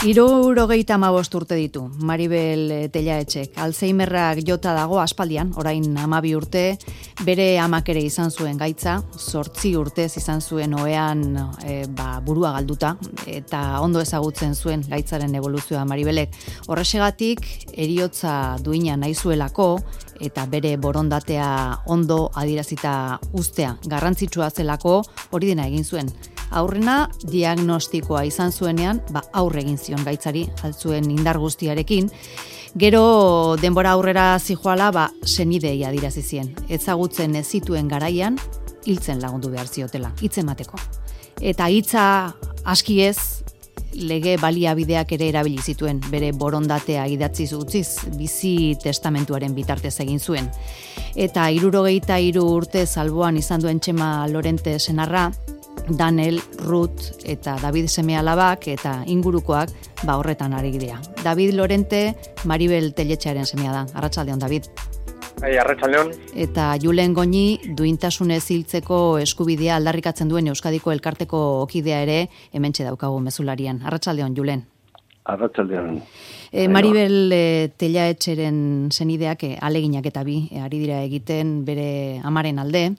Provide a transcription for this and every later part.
75 urte ditu Maribel Tellaetxek. Alzheimerrak jota dago aspaldian, orain 12 urte, bere amak ere izan zuen gaitza, 8 urtez izan zuen ohean burua galduta, eta ondo ezagutzen zuen gaitzaren evoluzioa Maribelek. Horrexegatik, heriotza duina nahi zuelako, eta bere borondatea ondo adierazita ustea garrantzitsua zelako, hori dena egin zuen. Aurrena diagnostikoa izan zuenean, aurre egin zion gaitzari, altzuen indar guztiarekin. Gero denbora aurrera zijoala, senidei adirazi zien. Ezagutzen ez zituen garaian, hiltzen lagundu behar ziotela, hitz emateko. Eta hitza aski ez, lege baliabideak ere erabili zituen, bere borondatea idatziz utziz, bizi testamentuaren bitartez egin zuen. Eta 73 urte alboan izan duen Txema Lorente senarra, Daniel, Ruth eta David seme-alabak eta ingurukoak horretan ari dira. David Lorente, Maribel Telletxearen semea da. Arratsaldeon, David. Arratsaldeon. Eta Julen Goñi, duintasunez hiltzeko eskubidea aldarrikatzen duen Euskadiko elkarteko okidea ere hementxe daukagu mezularian. Arratsaldeon, Julen. Arratsaldeon. Maribel Tellaetxeren senideak aleginak eta bi ari dira egiten bere amaren alde.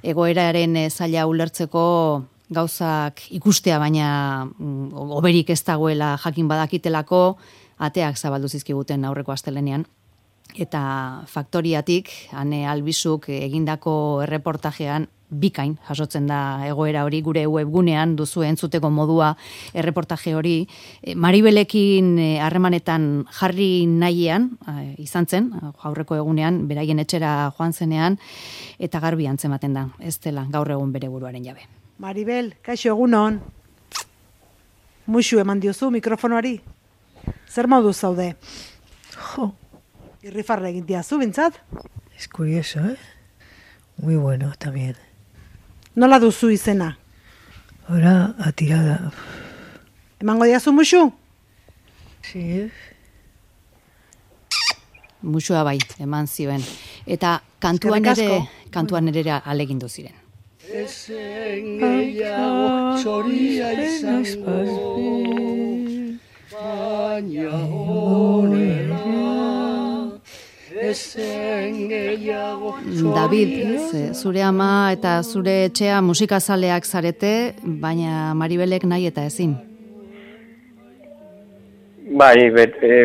Egoeraren zaila ulertzeko gauzak ikustea, baina oberik ez dagoela jakin badakitelako, ateak zabaldu zizkiguten aurreko astelenean. Eta faktoriatik, Ane Albizuk egindako erreportajean, bikain jasotzen da egoera hori, gure webgunean duzu entzuteko modua erreportaje hori. Maribelekin harremanetan jarri nahian, izan zen, aurreko egunean, beraien etxera joan zenean, eta garbi antzematen da, ez dela gaur egun bere buruaren jabe. Maribel, kaixo egunon. Muxu eman diozu mikrofonoari. Zer modu zaude? Jo. Irrifarra egin diazu, bintzat? Es curioso, ¿eh? Muy bueno también. Nola duzu izena? Ahora atirada. Emango diazu muxu? Sí. Muxua bai, eman zioen. Eta kantuan ere alegindu ziren. Ezen gehiago zoria izango, baina honera. David, zure ama eta zure etxea musikazaleak zarete, baina Maribelek nahi eta ezin. Bai,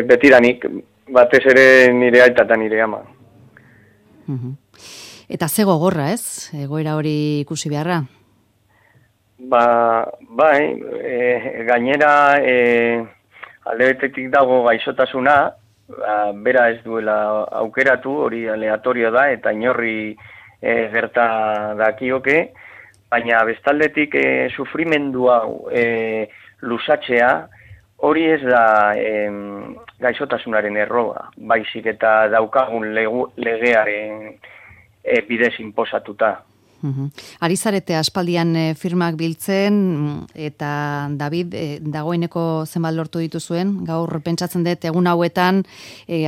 betidanik, batez ere nire aita eta nire ama. Eta ze gogorra ez, egoera hori ikusi beharra? Bai, gainera alde betetik dago gaixotasuna, bera ez duela aukeratu, hori aleatorio da, eta inorri gerta dakioke, baina bestaldetik sufrimendu hau lusatzea, hori ez da gaixotasunaren erroa, baizik eta daukagun legearen bidez inposatuta. Ari zarete aspaldian firmak biltzen, eta David, dagoeneko zenbat lortu dituzuen, gaur pentsatzen dut egun hauetan,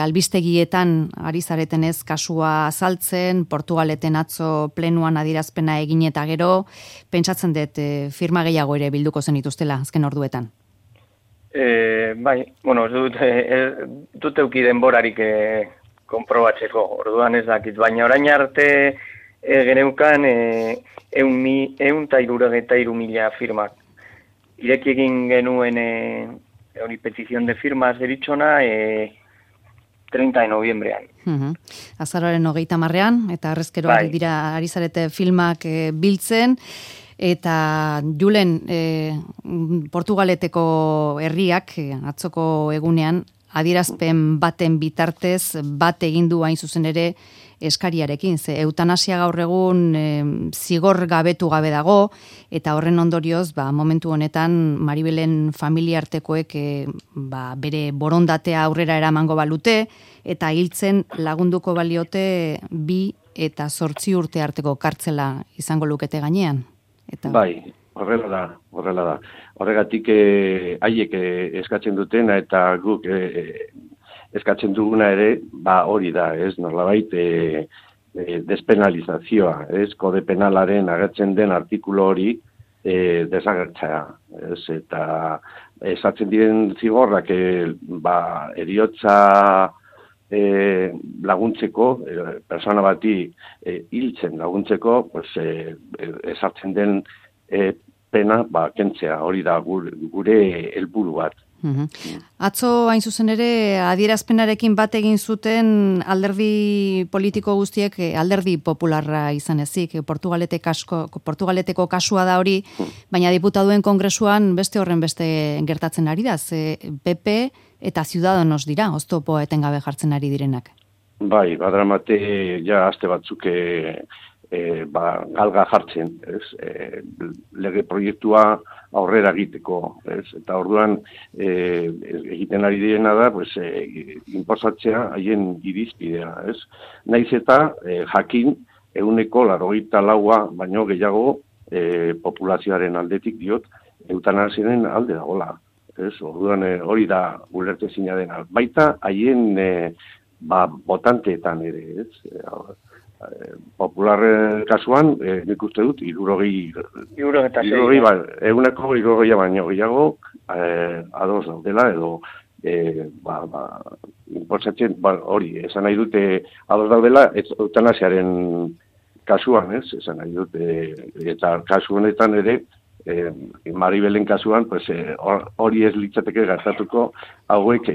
albistegietan ari zaretenez kasua azaltzen, Portugaleten atzo plenuan adierazpena egin eta gero, pentsatzen dut firma gehiago ere bilduko zen dituztela, azken orduetan. Bai, bueno, ez dut euki denborarik konprobatzeko, orduan ez dakit, baina orain arte geneukan 163.000 firmak. Ireki egin genuen hori petizion de firmas deritzona 30 de noviembrean. Azaroaren 30ean, eta arrezkero ari zarete filmak biltzen, eta Julen, Portugaleteko herriak atzoko egunean adierazpen baten bitartez bat egin du hain zuzen ere eskariarekin, ze eutanasia gaur egun zigor gabetu gabe dago, eta horren ondorioz, momentu honetan Maribelen familiartekoek bere borondatea aurrera eramango balute, eta hiltzen lagunduko baliote 2 eta 8 urte arteko kartzela izango lukete gainean. Bai, horrela da. Horregatik haiek eskatzen dutena eta guk eskatzen duguna ere, hori da, ez, nolabait despenalizazioa, ez, kode penalaren agertzen den artikulu hori desagertzea, ez, eta esatzen diren zigorrak heriotza laguntzeko, persona bati hiltzen laguntzeko, pues, esartzen den pena kentzea, hori da gure helburu bat. Atzo hain zuzen ere adierazpenarekin bat egin zuten alderdi politiko guztiek alderdi popularra izan ezik. Portugaleteko kasua da hori, baina diputaduen kongresuan beste horren beste gertatzen ari da. PP eta Ciudadanos dira, oztopo etengabe jartzen ari direnak. Bai, badramate ja aste batzuk galga jartzen, lege proiektua aurrera egiteko, eta orduan egiten ari direna da, inposatzea haien irizpidea, Naiz eta jakin 84 baino gehiago populazioaren aldetik diot eutanasiaren alde dagoela, Orduan hori da ulertezina dena. Baita haien botanteetan ere, Popular kasuan, nik uste dut, 160 baino gehiago ados daudela, edo inposatzen, hori, esan nahi dute ados daudela, eutanasiaren kasuan, esan nahi dute, eta kasu honetan ere, Maribelen kasuan, hori ez litzateke gertatuko, hauek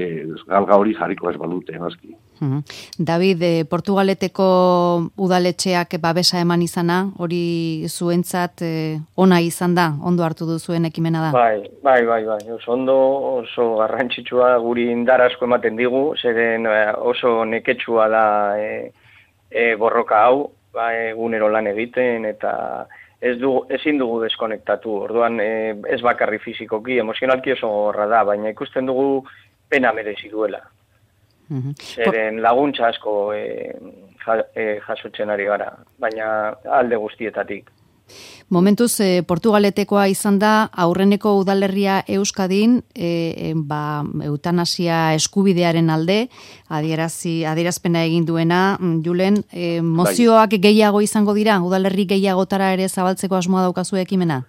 galga hori jarriko ez balute, noski. David, Portugaleteko udaletxeak babesa eman izana, hori zuentzat ona izan da, ondo hartu duzuen ekimena da? Bai. Oso garrantzitsua guri indar asko ematen digu, zeren oso neketsua da borroka hau, egunero lan egiten, eta ezin dugu deskonektatu, orduan ez bakarri fizikoki, emozionalki oso gorra da, baina ikusten dugu pena merezi duela. Zeren laguntza asko jasotzen ari gara, baina alde guztietatik. Momentuz, Portugaletekoa izan da, aurreneko udalerria Euskadin, eutanasia eskubidearen alde, adierazpena egin duena, Julen, mozioak gehiago izango dira, udalerri gehiagotara ere zabaltzeko asmoa daukazu ekimena?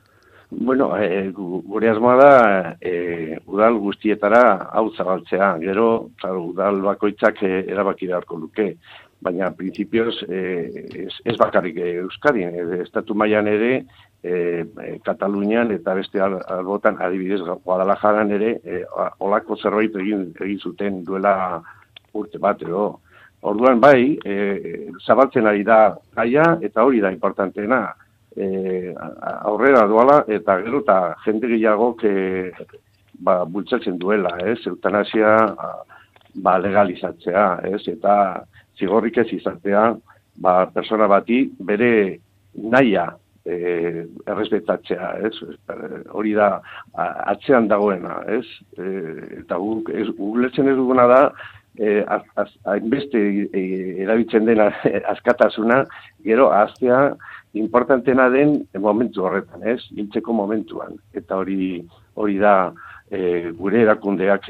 Bueno, gure asmoa da, udal guztietara hau zabaltzea, gero, udal bakoitzak erabaki beharko luke. Baina, prinsipioz, ez bakarrik Euskadin, estatu mailan ere, Katalunian eta beste albotan, adibidez, Guadalajaran ere, olako zerbait egin zuten duela urte bat, edo. Orduan, bai, zabaltzen ari da gaia, eta hori da importanteena, aurrera doala, eta gero, eta jende gehiagok bultzatzen duela, eutanasia legalizatzea, eta zigorrik ez izatea, persona bati bere nahia errespetatzea, hori da atzean dagoena, eta ulertzen ez duguna da, hainbeste erabiltzen dena askatasuna, gero aztea importantena den momentu horretan, hiltzeko momentuan, eta hori da gure erakundeak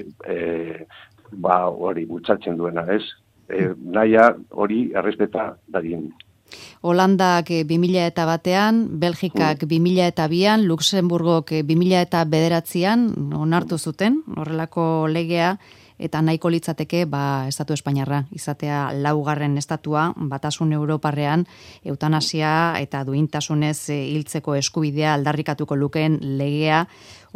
hori bultzatzen duena, naia hori errespeta dadien. Holandak 2001an, Belgikak 2002an, Luxemburgok 2009an onartu zuten, horrelako legea, eta nahiko litzateke estatu espainiarra izatea laugarren estatua batasun europarrean eutanasia eta duintasunez hiltzeko eskubidea aldarrikatuko lukeen legea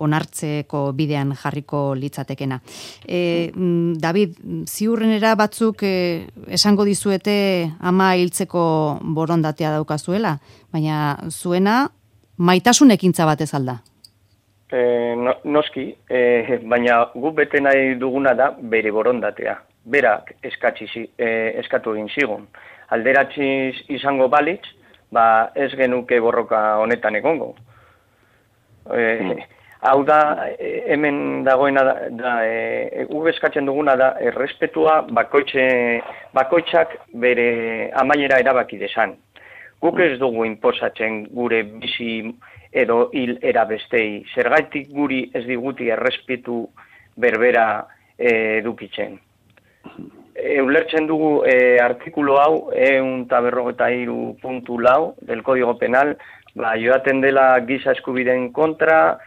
onartzeko bidean jarriko litzatekena. David, ziurrenera batzuk esango dizuete ama hiltzeko borondatea daukazuela, baina zuena maitasun ekintza batez alda. Noski, baina gu bete nahi duguna da bere borondatea. Berak eskatu egin zigun. Alderatziz izango balitz, ez genuke borroka honetan egongo. Hau da, hemen dagoena da, gu eskatzen duguna da, errespetua bakoitzak bere amaiera erabaki desan. Guk ez dugu inposatzen gure bizi edo hil erabestei. Zergaitik guri ez diguti errespetu berbera edukitzen. Ulertzen dugu artikulu hau, 143.4 del Código Penal, joaten dela giza eskubideen kontra,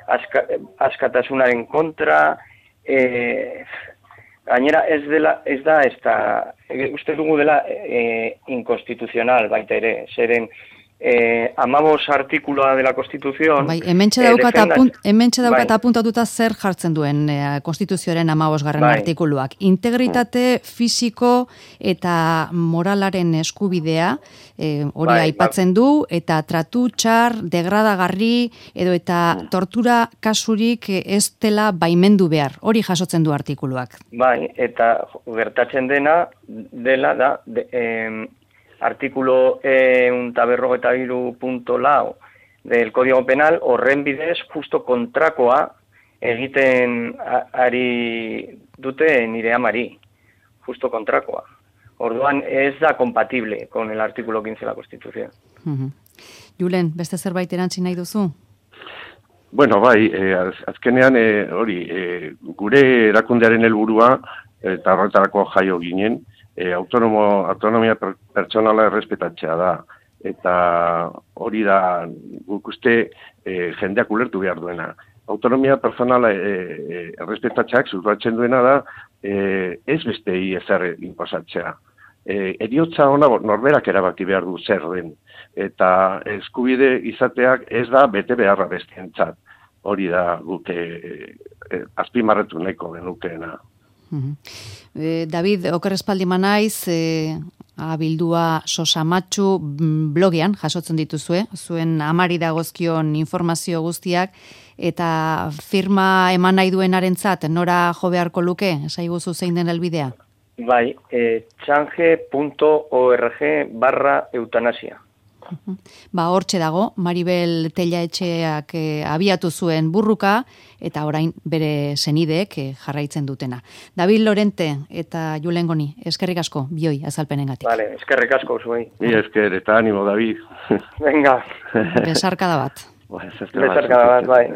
askatasunaren kontra, gainera ez da, uste dugu dela inkonstituzional baita ere, zeren 15 artikuloa de la Constitución. Bai, hementxe daukat apuntatuta zer jartzen duen Konstituzioaren 15. Artikuluak. Integritate fisiko eta moralaren eskubidea hori aipatzen du, eta tratu txar, degradagarri edo eta tortura kasurik ez dela baimendu behar. Hori jasotzen du artikuluak. Bai, eta gertatzen dela da artículo 153.4 del Código Penal horren bidez justo kontrakoa egiten ari dute nire amari. Justo kontrakoa. Orduan ez da compatible con el artículo 15 de la Constitución. Julen, beste zerbait erantzi nahi duzu? Bueno, bai, azkenean gure erakundearen helburua eta horretarako jaio ginen, autonomia pertsonala errespetatzea da. Eta hori da guk uste jendeak ulertu behar duena. Autonomia pertsonala errespetatzeak zurratzen duena da ez bestei ezer inposatzea. Heriotza ona norberak erabaki behar du zer den. Eta eskubide izateak ez da bete beharra bestientzat. Hori da guk azpimarratu nahiko genukeena. David, okerrespaldi manaiz, abildua sosamatxu blogean jasotzen dituzue, zuen amari dagozkion informazio guztiak, eta firma eman nahi duenarentzat nora jo beharko luke, esaiguzu zein den helbidea? Bai, change.org/eutanasia. Hortxe dago, Maribel Tellaetxeak abiatu zuen burruka, eta orain bere senideek jarraitzen dutena. David Lorente eta Julen Goni, eskerrik asko, bioi azalpenengatik. Vale, eskerrik asko zuei. Esker, eta animo, David. Venga. Besarkada bat. Besarkada bat, bai.